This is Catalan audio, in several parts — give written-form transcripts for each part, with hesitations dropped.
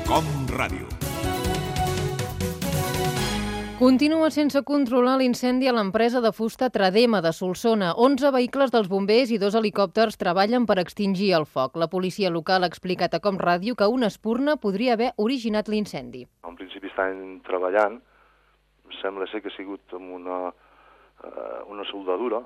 Com Ràdio. Continua sense controlar l'incendi a l'empresa de fusta Tradema de Solsona. 11 vehicles dels bombers i 2 helicòpters treballen per extingir el foc. La policia local ha explicat a Com Ràdio que una espurna podria haver originat l'incendi. En principi estan treballant, sembla ser que ha sigut amb una soldadura,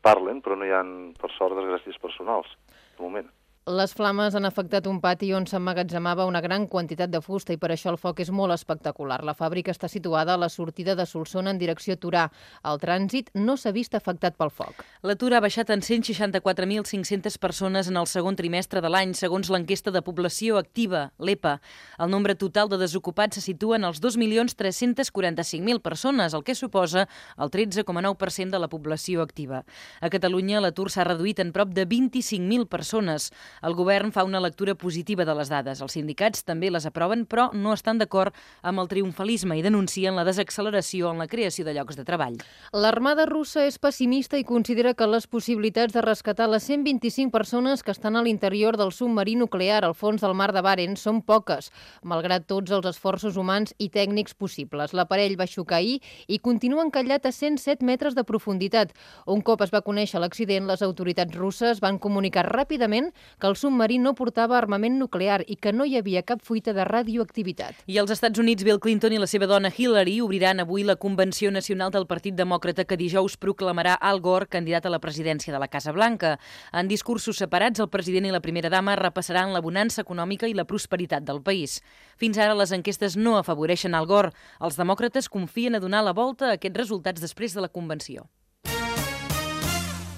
parlen, però no hi ha, per sort, desgràcies personals, de moment. Les flames han afectat un pati on s'emmagatzemava una gran quantitat de fusta i per això el foc és molt espectacular. La fàbrica està situada a la sortida de Solsona en direcció a Torà. El trànsit no s'ha vist afectat pel foc. L'atur ha baixat en 164.500 persones en el segon trimestre de l'any, segons l'enquesta de població activa, l'EPA. El nombre total de desocupats se situa en els 2.345.000 persones, el que suposa el 13,9% de la població activa. A Catalunya l'atur s'ha reduït en prop de 25.000 persones. El govern fa una lectura positiva de les dades. Els sindicats també les aproven, però no estan d'acord amb el triomfalisme i denuncien la desacceleració en la creació de llocs de treball. L'Armada russa és pessimista i considera que les possibilitats de rescatar les 125 persones que estan a l'interior del submarí nuclear al fons del mar de Barents són poques, malgrat tots els esforços humans i tècnics possibles. L'aparell va xocar ahir i continua encallat a 107 metres de profunditat. Un cop es va conèixer l'accident, les autoritats russes van comunicar ràpidament que el submarí no portava armament nuclear i que no hi havia cap fuita de radioactivitat. I als Estats Units, Bill Clinton i la seva dona Hillary obriran avui la Convenció Nacional del Partit Demòcrata que dijous proclamarà Al Gore candidat a la presidència de la Casa Blanca. En discursos separats, el president i la primera dama repassaran la bonança econòmica i la prosperitat del país. Fins ara, les enquestes no afavoreixen Al Gore. Els demòcrates confien a donar la volta a aquests resultats després de la convenció.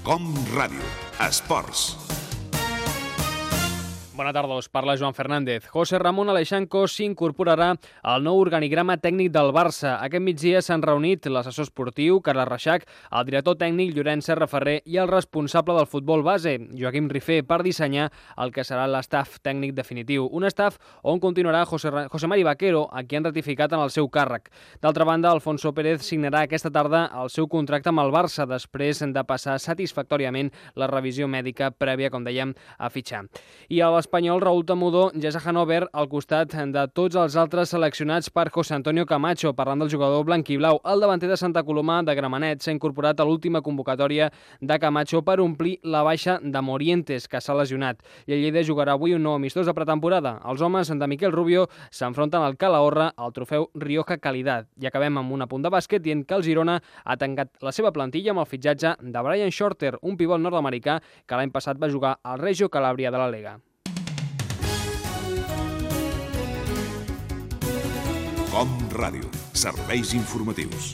Com Ràdio. Esports. Bona tarda, us parla Joan Fernández. José Ramón Aleixanco s'incorporarà al nou organigrama tècnic del Barça. Aquest migdia s'han reunit l'assessor esportiu, Carles Reixac, el director tècnic, Llorenç Serraferrer, i el responsable del futbol base, Joaquim Rifé, per dissenyar el que serà l'estaf tècnic definitiu. Un estaf on continuarà José Mari Vaquero, a qui han ratificat en el seu càrrec. D'altra banda, Alfonso Pérez signarà aquesta tarda el seu contracte amb el Barça, després de passar satisfactòriament la revisió mèdica prèvia, com dèiem, a fitxar. I a l'espanyol Raúl Tamudó ja és a Hannover al costat de tots els altres seleccionats per José Antonio Camacho. Parlant del jugador blanquiblau, el davanter de Santa Coloma de Gramenet s'ha incorporat a l'última convocatòria de Camacho per omplir la baixa de Morientes, que s'ha lesionat. I el Lleida jugarà avui un nou amistós de pretemporada. Els homes de Miquel Rubio s'enfronten al Calahorra al trofeu Rioja Calidad. I acabem amb un apunt de bàsquet dient que el Girona ha tancat la seva plantilla amb el fitxatge de Brian Shorter, un pivot nord-americà que l'any passat va jugar al Reggio Calabria de la Lega. Com Ràdio. Serveis informatius.